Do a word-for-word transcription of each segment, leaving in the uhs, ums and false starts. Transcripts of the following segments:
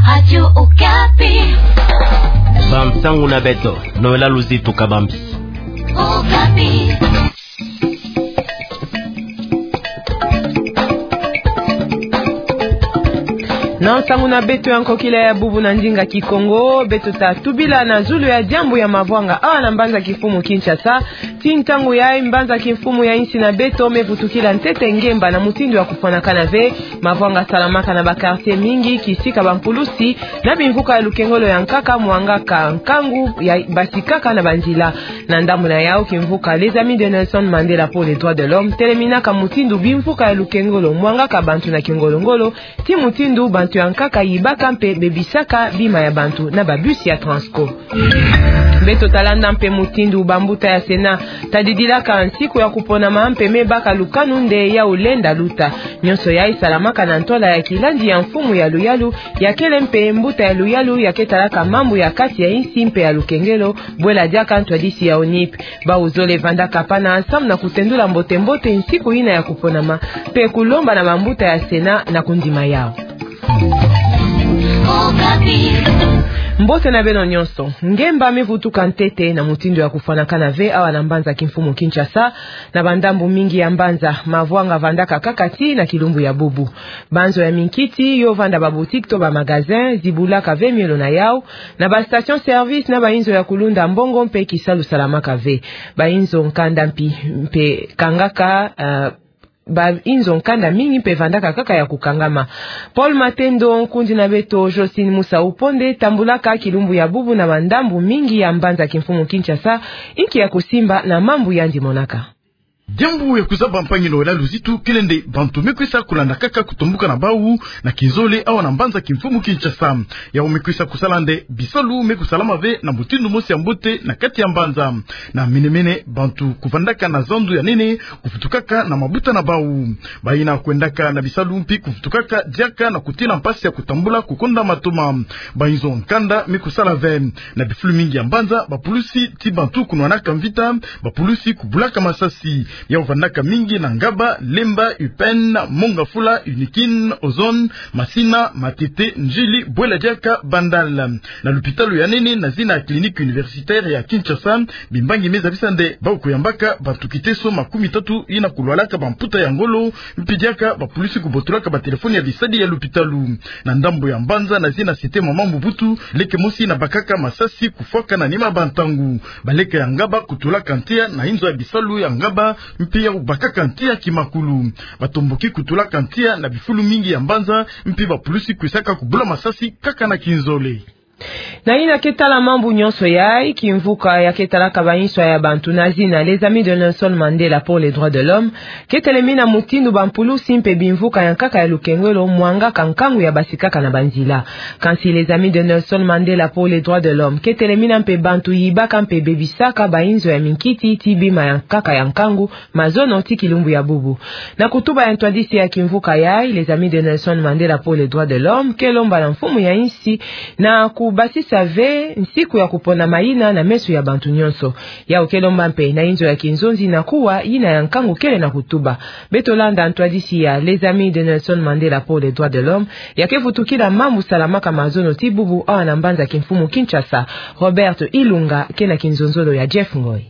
Radio Okapi. Bansangu na beto, Noëlla Luzitu Kabambi. Okapi. Na nsangu na beto ya nkokila ya bubu na ndinga Kikongo, beto ta tubila na zulu ya diambu ya mavwanga awa na mbanza kimfumu Kinshasa. Tii ntangu yayi mbanza kimfumu ya insi na beto me vutukila ntete ngemba na mutindu ya kufwanakana ve. Mavwanga salamaka na ba quartier mingi, kisika bampulusi na bimvuka ya lukengolo ya nkaka mwangaka nkangu ya basikaka na banzila. Na ndambu na yawu, kimvuka Les Amis de Nelson Mandela pour les Droits de l'Homme teleminaka mutindu bimvuka ya lukengolo mwangaka bantu na kingolongolo, tii mutindu bantu ya nkaka yibaka mpe bebisaka bima ya bantu na ba bus ya Transco. Beto ta landa mpe mutindu bambuta ya Sénat ta didilaka nsiku ya kuponama mpe me baka lukanu nde yawu lenda luta. Nyonso yayi salamaka na ntwala ya kilandi ya mfumu ya luyalu, ya kele mpe mbuta ya luyalu ya ke talaka mambu ya kati ya insi mpe ya lukengelo, bwela diaka ntwadisi ya ONIP. Bawu zole vandaka pana ensemble na kutendula mbote-mbote nsiku yina ya kuponama, mpe kulomba na bambuta ya Sénat na kundima yawu. Mbote na beno nyonso. Ngemba me vutuka ntete na mutindu ya kufwanakana ve awa na mbanza kimfumu Kinshasa. Na bandambu mingi ya mbanza, mavwanga vandaka kaka tii na kilumbu ya bubu. Banzo ya minkiti yo vanda ba boutique to ba magasin zibulaka ve miolo na yawu. Na ba station service na ba inzo ya kulunda mbongo mpe kisalu salamaka ve. Ba inzo nkanda mpi mpe kangaka, ah, ba inzo nkanda mingi mpe vandaka kaka ya kukangama. Paul Matendo, nkundi na beto Josine Musa Uponde tambulaka kilumbu ya bubu na bandambu mingi ya mbanza kimfumu Kinshasa, inki ya kusimba na mambu yandi monaka. Diambu ya kuzaba, mpangi Noëlla Luzitu, kele nde bantu me kwisa kulanda kaka kutombuka na bawu na kinzole awa na mbanza kimfumu Kinshasa. Yawu me kwisa kusala nde bisalu me kusalama ve na mutindu mosi ya mbote na kati ya mbanza. Na mene-mene, bantu kuvandaka na zandu ya nene kuvutukaka na mabuta na bawu. Bayina kwendaka na bisalu mpi kuvutukaka diaka na kutina mpasi ya kutambula kukonda matoma. Ba inzo nkanda me kusala ve. Na bifulu mingi ya mbanza, bapulusi tii bantu kunwanaka mvita, bapulusi kubulaka masasi. Yawu vandaka mingi na Ngaba, Lemba, Upene, Mont-Ngafula, Unikin, Ozone, Masina, Matete, Ndjili, bwela diaka Bandal. Na lupitalu ya nene na zina ya Clinique Universitaire ya Kinshasa, bimbangi me zabisa nde bawu kuyambaka bantu kiteso makumi tatu yina kulwalaka bamputa ya ngolo, mpi diaka bapulusi kubotolaka batelefoni ya bisadi ya lupitalu. Na ndambu ya mbanza na zina Cité Mama Mobutu, leke mosi yina bakaka masasi kufwaka na nima bantangu. Baleke ya Ngaba kutulaka ntia na inzo ya bisalu ya Ngaba, mpi yawu bakaka ntia kimakulu. Batomboki kutulaka ntia na bifulu mingi ya mbanza, mpi bapulusi kwisaka kubula masasi kaka na kinzole. Na yina ke tala mambu nyonso yayi, kimvuka ya ke talaka ba inswa ya bantu na zina Les Amis de Nelson Mandela pour les Droits de l'Homme ke telemina mutindu bampulusi mpe bimvuka ya nkaka ya lukengelo mwangaka nkangu ya basikaka na banzila. Kansi Les Amis de Nelson Mandela pour les Droits de l'Homme ke telemina mpe bantu yibaka mpe bebisaka ba inzo ya minkiti tii bima ya nkaka ya nkangu, mazono tii kilumbu ya bubu. Na kutuba ya ntwadisi ya kimvuka yayi, Les Amis de Nelson Mandela pour les Droits de l'Homme ke lomba na mfumu ya insi na kubasisa ve nsiku ya kuponama yina na meso ya bantu nyonso. Yawu ke lomba mpe na inzo ya kinzonzi na kuwa yina ya nkangu kele na kutuba. Beto landa ntwadisi ya Les Amis de Nelson Mandela pour les Droits de l'Homme, ya ke vutukila mambu salamaka mazono tii bubu awa na mbanza kimfumu Kinshasa. Robert Ilunga ke na kinzonzolo ya Jeff Ngoy.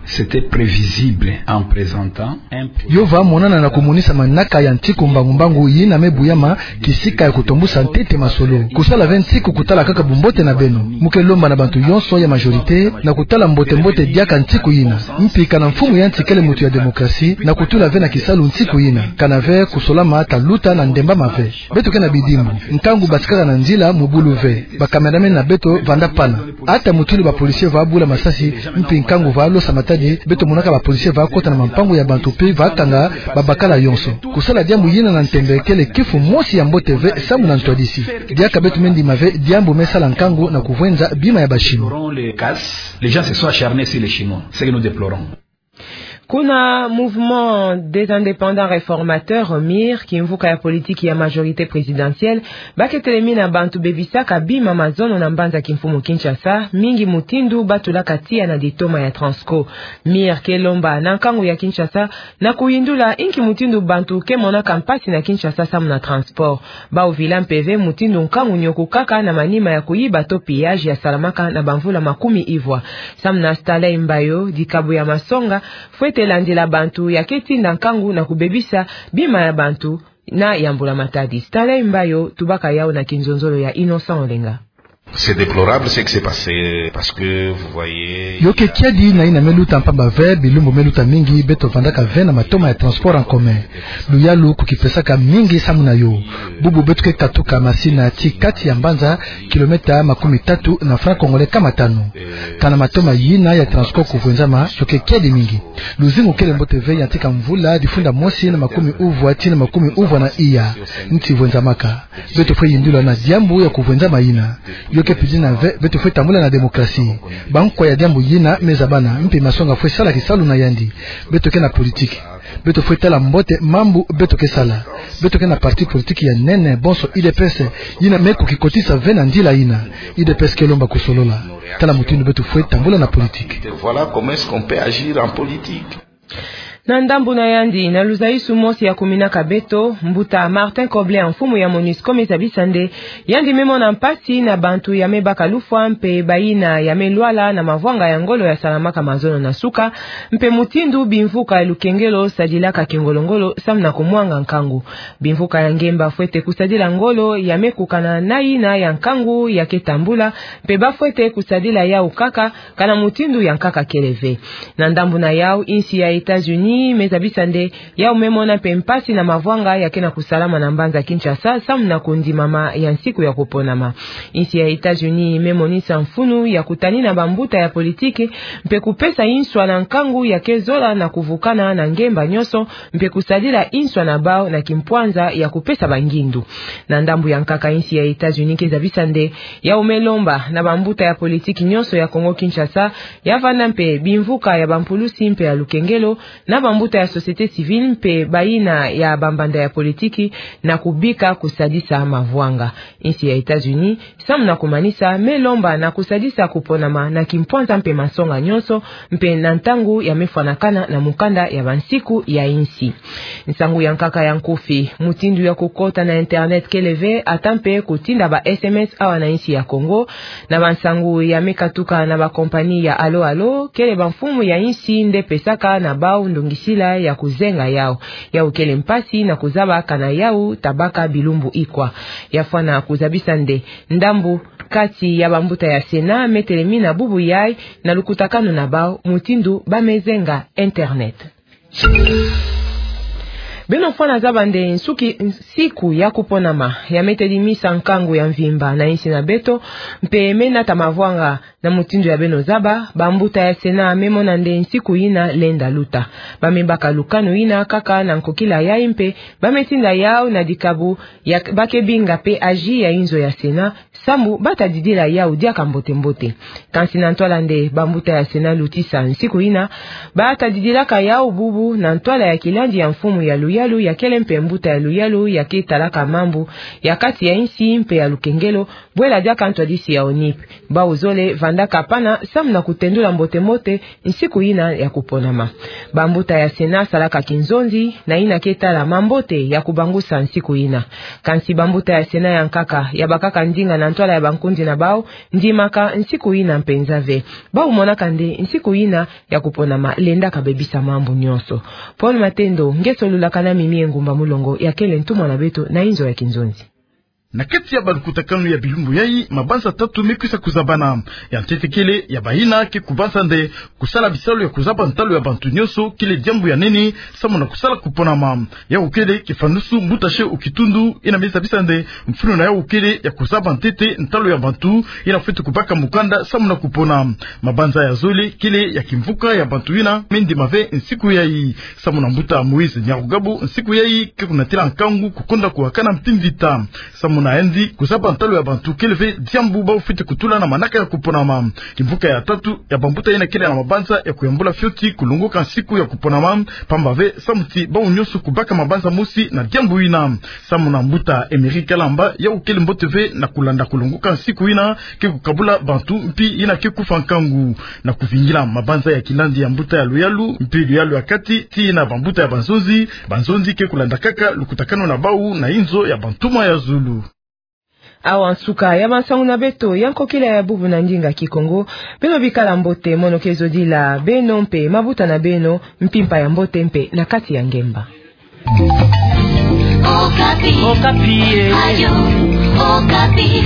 C'était prévisible en présentant un projet. Yo va monana na kumonisa manaka ya ntiku mbangu-mbangu yina me buyama kisika ya kutombusa ntete masolo. Kusala ve ntiku kutala kaka bumbote na beno. Mu ke lomba na bantu yonso ya majorité na kutala mbote-mbote diaka ntiku yina. Mpi kana mfumu ya nsi kele mutu ya démocratie na kutula ve na kisalu ntiku yina. Kana ve kusolama, ta luta na ndembama ve. Beto ke na bidimbu. Nkangu basikaka na nzila mu bulu ve. Ba cameraman na beto vanda pana. Ata mutulu ba policier va bula masasi, mpi nkangu va losa matadi, beto monaka ba policier va kota na mampangu ya bantu mpe va kanga babakala yonso. Kusala diambu yina na ntembe kele kifu mosi ya mbote ve samu na ntwadisi. Diaka beto me ndima ve diambu me sala nkangu na kuvwenza bima ya ba Chinois. Les gens se sont acharnés sur les Chinois, ce que nous déplorons. Kuna Mouvement des Indépendants Réformateurs, MIR, kimvuka ya politiki ya majorité présidentielle, ba ke telemina bantu bebisaka bima mazono na mbanza kimfumu Kinshasa, mingi mutindu ba tulaka tiya na ditoma ya Transco. MIR ke lomba na nkangu ya Kinshasa na kuyindula inki mutindu bantu ke monaka mpasi na Kinshasa samu na transport. Ba uvila mpeve mutindu nkangu nyoko kaka na manima ya kuyiba to pillage ya salamaka na bamvula makumi ivwa. Samu na Stanley Mbayo, dikabu ya masonga fwete landila bantu ya ke tinda nkangu na kubebisa bima ya bantu na ya Mbula Matadi. Stanley Mbayo, tubaka yau na kinzonzolo ya Innocent Olenga. C'est déplorable ce qui s'est passé parce que vous voyez... Yo ke kiadi na yina me luta, mpamba ve bilumbu me luta mingi beto vandaka ve na matoma ya transport en commun. Luyalu kukipesaka mingi samu na yo. Bubu beto ke katuka masina ti kati ya mbanza, kilomètre makumi tatu na franc congolais kama tanu. Kana matoma yina ya Transco kuvwenzama, yo ke kiadi mingi. Luzingu kele mbote ve, yantika mvula difunda mosi na makumi uvwa ti na makumi uvwa na iya nti vwenzamaka. Beto fwe yindula na diambu ya kuvwenzama yina. Yo ke pidina ve beto fwe tambula na démocratie. Bankwa ya diambu yina me zabana, mpe masonga fwe sala kisalu na yandi. Beto ke na politique. Beto fwe tala mbote mambu beto ke sala. Beto ke na parti politique ya nene bonso, U D P S, yina me kukikotisa ve na ndila yina. U D P S ke lomba kusolola. Tala mutindu beto fwe tambula na politique. Voilà comment est-ce qu'on peut agir en politique. Na ndambu na yandi, na luzaisu mosi ya kuminaka beto, mbuta Martin Kobler, mfumu ya MONUSCO, me zabisa nde yandi me mona mpasi na bantu ya me baka lufwa mpe bayina ya me lwala na mavwanga ya ngolo ya salamaka mazono na suka, mpe mutindu bimvuka ya lukengelo sadilaka kingolo-ngolo samu na kumwanga nkangu. Bimvuka ya ngemba fwete kusadila ngolo ya me kukana na yina ya nkangu ya ke tambula, mpe ba fwete kusadila yau kaka, kana mutindu ya nkaka kele ve. Na ndambu na yau, insi ya États-Unis me zabisa nde yau me mona mpe mpasi na mavwanga ya ke na kusalama na mbanza Kinshasa samu na kundimama ya nsiku ya kuponama. Insi ya États-Unis me monisa mfunu ya kutanina bambuta ya politique, mpe kupesa inswa na nkangu ya ke zola na kuvukana na ngemba nyonso, mpe kusadila inswa na bau na kimpwanza ya kupesa bangindu. Na ndambu ya nkaka, insi ya États-Unis ke zabisa nde yau me lomba na bambuta ya politique nyonso ya Congo-Kinshasa, ya vanda mpe bimvuka ya bampulusi mpe ya lukengelo, na bambuta ya société civile mpe bayina ya bambanda ya politique, na kubika kusadisa mavwanga. Insi ya États-Unis, samu na kumanisa, me lomba na kusadisa kuponama na kimpwanza mpe masonga nyonso, mpe na ntangu ya me fwanakana na mukanda ya bansiku ya insi. Nsangu ya nkaka ya nkufi: mutindu ya kukota na internet kele ve, ata mpe kutinda ba S M S awa na insi ya Congo. Na bansangu ya me katuka na bakompani ya Allo Allo, kele bamfumu ya insi nde pesaka na bau ndongisila ya kuzenga yau. Yau kele mpasi na kuzaba kana yau ta baka bilumbu ikwa. Ya fwana kuzabisa nde ndambu kati ya bambuta ya Sénat me telemina bubu yai na lukutakanu na bau mutindu ba me zenga internet. Beno fwana zaba nde nsuki, nsiku ya kuponama ya me tedimisa nkangu ya mvimba na insi na beto, mpe me nata mavwanga. Na mutindu ya beno zaba, bambuta ya Sénat me mona nde nsiku yina lenda luta. Ba me baka lukanu yina kaka na nkokila yai mpe ba me tinda yau na dikabu ya ba ke binga P A J ya inzo ya Sénat, sambu ba ta didila yau diaka mbote-mbote. Kansi na ntwala nde bambuta ya Sénat lutisa nsiku yina, ba ta didilaka yau bubu na ntwala ya kilandi ya mfumu ya luyalu ya kele mpe mbuta ya luyalu ya ke talaka mambu ya kati ya insi mpe ya lukengelo, bwela diaka ntwadisi ya ONIP. Bau zole vandaka pana samu na kutendula mbote-mbote nsiku yina ya kuponama. Bambuta ya Sénat salaka kinzonzi na yina ke tala mambote ya kubangusa nsiku yina. Kansi bambuta ya Sénat ya nkaka ya bakaka ndinga na ntwala ya bankundi na bau, ndimaka nsiku yina mpenza ve. Bau monaka nde nsiku yina ya kuponama lendaka bebisa mambu nyonso. Paul Matendo, ngeso lulakana Mimi Engumba Mulongo ya kele ntumwa na beto na inzo ya kinzonzi. Na kati ya balukutakanu ya bilumbu yai, mabanza tatu me kwisa kuzabana. Ya ntete kele ya bayina ke kubanza nde kusala bisalu ya kuzaba ntalu ya bantu nyonso kele diambu ya nene samu na kusala kuponama. Yau kele kifanusu mbuta Che Okitundu, yina me zabisa nde mfunu na yau kele ya kuzaba ntete ntalu ya bantu yina fwete kubaka mukanda samu na kupona. Mabanza ya zole kele ya kimvuka ya bantu yina me ndima ve nsiku yai. Samu na mbuta Moïse Nyarugabo, nsiku yai ke kunatila nkangu kukonda kuwakana mpi mvita. Samu Na yandi kuzaba ntalu ya bantu kele ve diambu bau fwete kutula na manaka ya kuponama. Kimvuka ya tatu ya bambuta yina kele na mabanza ya kuyambula fioti kulongoka nsiku ya kuponama, pamba ve samu ti bau nyonso kubaka mabanza mosi na diambu yina. Samu na mbuta Emery Kalamba, yau kele mbote ve na kulanda kulongoka nsiku yina ke kukabula bantu mpi yina ke kufa nkangu. Na kuvingila mabanza ya kilandi ya mbuta ya luyalu mpi luyalu ya kati tii na bambuta ya banzonzi, banzonzi ke kulanda kaka lukutakanu na bau na inzo ya bantuma ya zulu. Awa nsuka ya bansangu na beto ya nkokila ya bubu na ndinga Kikongo. Beno bikala mbote, mono ke zodila beno mpe mabuta na beno mpimpa ya mbote mpe na kati ya ngemba. Okapi. Okapi, eh. Radio Okapi.